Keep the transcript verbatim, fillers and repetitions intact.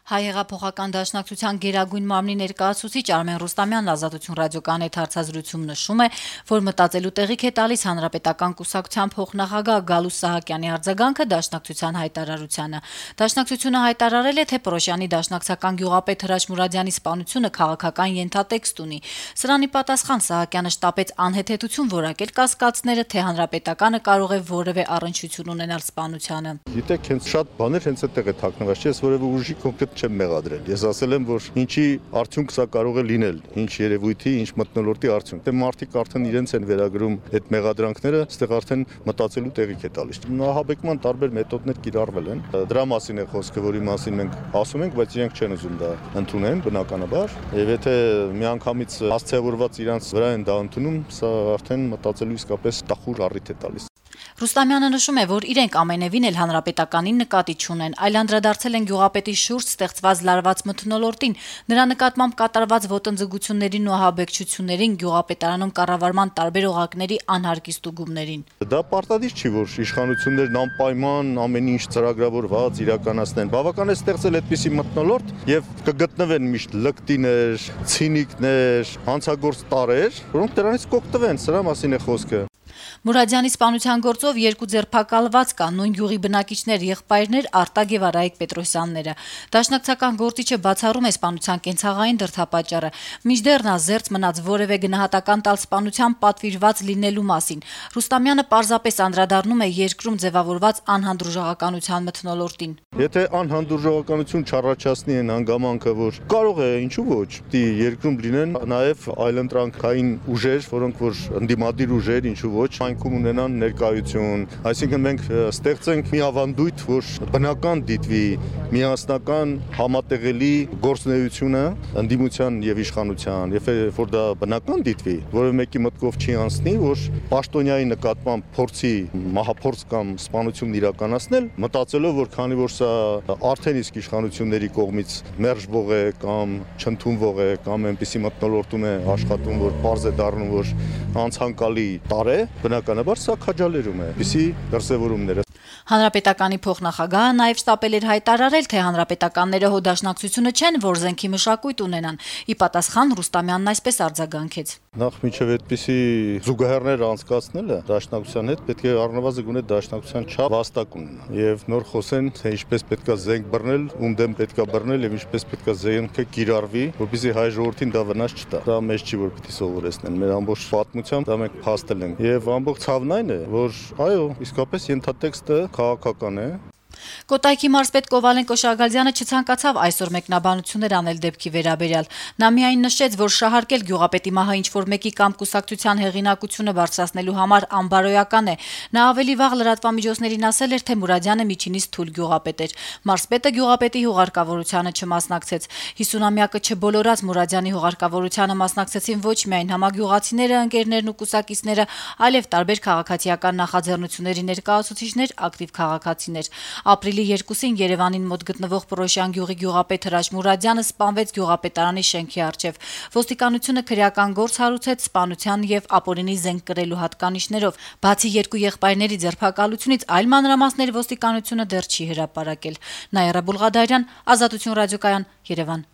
Հայ հեղափոխական դաշնակցության գերագույն մարմնի ներկայացուցիչ Արմեն Ռուստամյանն Ազատություն ռադիոկայանի հետ հարցազրույցում նշում է, որ մտածելու տեղիք է տալիս Հանրապետական կուսակցության փոխնախագահ Գալուստ Սահակյանի արձագանքը դաշնակցության հայտարարությանը։ Դաշնակցությունը հայտարարել է, թե Պռոշյանի դաշնակցական գյուղապետ Հրաչ Մուրադյանի սպանությունը քաղաքական ենթատեքստ ունի։ Սրան ի պատասխան Սահակյանը շտապեց անհեթեթություն որակել կասկածները, թե Հանրապետականը կարող է որևէ առնչություն ունենալ սպանությանը։ Գիտեք, հենց շատ բաներ հենց այդտեղ է թաքնված, չէ՞, որևէ ուժի կոնկրետ չեմ մեղադրել։ Ես ասել եմ, որ ինչի արդյունք սա կարող է լինել, ինչ երևույթի, ինչ մթնոլորտի արդյունք։ Դե մարդիկ արդեն իրենց են վերագրում այդ մեղադրանքները, այստեղ արդեն մտածելու տեղիք է տալիս։ Նահաբեկման տարբեր մեթոդներ կիրառվել են։ Դրա մասին է խոսքը, որի մասին մենք ասում ենք, բայց իրենք չեն ուզում դա ընդունեն, բնականաբար։ Եվ եթե միանգամից հասցեավորված իրանց վրա են դա ընդունում, սա արդեն մտածելու իսկապես տխուր առիթ է տալիս։ Ռուստամյանը նշում է, որ իրենք ամենևին էլ Հանրապետականին նկատի չունեն, այլ անդրադարձել են գյուղապետի շուրջ ստեղծված լարված մթնոլորտին, նրա նկատմամբ կատարված ոտնձգություններին ու ահաբեկչություններին, գյուղապետարանում կառավարման տարբեր օղակների անհարկի ստուգումներին։ Դա պարտադիր չի, որ իշխանություններն անպայման ամեն ինչ ծրագրավորված իրականացնեն։ Բավական է ստեղծել այդպիսի մթնոլորտ եւ կգտնվեն միշտ լկտիներ, ցինիկներ, հանցագործ տարեր, որոնք դրանից կօգտվեն, սրա մասին է խոսքը։ Մուրադյանի սպանության գործով երկու ձերբակալված կան, նույն գյուղի բնակիչներ, եղբայրներ Արտակ եւ Արայիկ Պետրոսյանները։ Դաշնակցական գործիչը բացառում է սպանության կենցաղային դրդապատճառը, մինչդեռ նա զերծ մնաց որևէ գնահատական տալ սպանության պատվիրված լինելու մասին։ Ռուստամյանը պարզապես անդրադառնում է երկրում ձևավորված անհանդուրժողականության մթնոլորտին։ Եթե անհանդուրժողականություն չառաջացնի այն հանգամանքը, որ կարող է, ինչու ոչ, դի երկրում լինեն նաեւ այլընտրանքային ուժեր, որոնք որ ընդդիմադիր ուժեր, ինչու ոչ, այնքում ունենան ներկայություն, այսինքն մենք ստեղծենք մի ավանդույթ, որ բնական դիտվի միասնական համատեղելի գործունեությունը ընդդիմության եւ իշխանության, եւ որ դա բնական դիտվի, որը մեկի մտքով չի անցնի, որ պաշտոնյայի նկատմամբ փորձի մահափորձ կամ սպանություն իրականացնել, մտածելով, որ քանի որ սա արդեն իսկ իշխանությունների կողմից մերժվող է կամ չընդունվող է կամ այնպիսի մթնոլորտում է աշխատում, որ պարզ է դառնում, որ անցանկալի տար է, բնականաբար սա քաջալերում է, այսպիսի դրսևորումները։ Հանրապետականի փոխնախագահը նաև շտապել էր հայտարարել, թե հանրապետականները հո դաշնակցությունը չեն, որ զենքի մշակույթ ունենան։ Ի պատասխան Ռուստամյանն այսպես արձագանքեց. Նախ միջև այդպիսի զուգահեռներ անցկացնելը դաշնակցության հետ պետք է առնվազն գոնե դաշնակցության չափ վաստակ ունենա եւ նոր խոսեն, թե ինչպես պետքա զենք բռնել, ում դեմ պետքա բռնել եւ ինչպես պետքա զենքը կիրառվի, որպեսզի հայ ժողովրդին դա վնաս չտա։ Դա մեզ չի որ պիտի սովորեցնեն, մեր ամբողջ պատմությամբ դա մենք փաստել ենք եւ ամբողջ ցավն այն է, որ այո, իսկապես ենթատեքստը քաղաքական է։ Կոտայքի մարզպետ Կովալենկո Շագալյանը չցանկացավ այսօր մեկնաբանություններ անել դեպքի վերաբերյալ։ Նա միայն նշեց, որ շահարկել գյուղապետի մահը ինչ-որ մեկի կամ կուսակցության հեղինակությունը բարձրացնելու համար անբարոյական է։ Նա ավելի վաղ լրատվամիջոցներին ասել էր, թե Մուրադյանը միջինից թույլ գյուղապետ էր։ Մարզպետը գյուղապետի հուղարկավորությանը չմասնակցեց։ հիսունամյակը չբոլորած Մուրադյանի հուղարկավորությանը մասնակցեցին ոչ միայն համագյուղացիները, ընկերներն ու կուսակիցները, այլև տարբեր քաղաքացիական նախաձեռնությունների ներկայացուցիչներ, ակտիվ քաղաքացիներ։ Ապրիլի երկուսին Երևանին մոտ գտնվող Պռոշյան գյուղի գյուղապետ Հրաչ Մուրադյանը սպանվեց գյուղապետարանի շենքի առջև։ Ոստիկանությունը քրեական գործ հարուցեց սպանության եւ ապօրինի զենք կրելու հատկանիշներով։ Բացի երկու եղբայրների ձերբակալությունից, այլ մանրամասներ ոստիկանությունը դեռ չի հրապարակել։ Նաիրա Բուլղադարյան, Ազատություն ռադիոկայան, Երևան։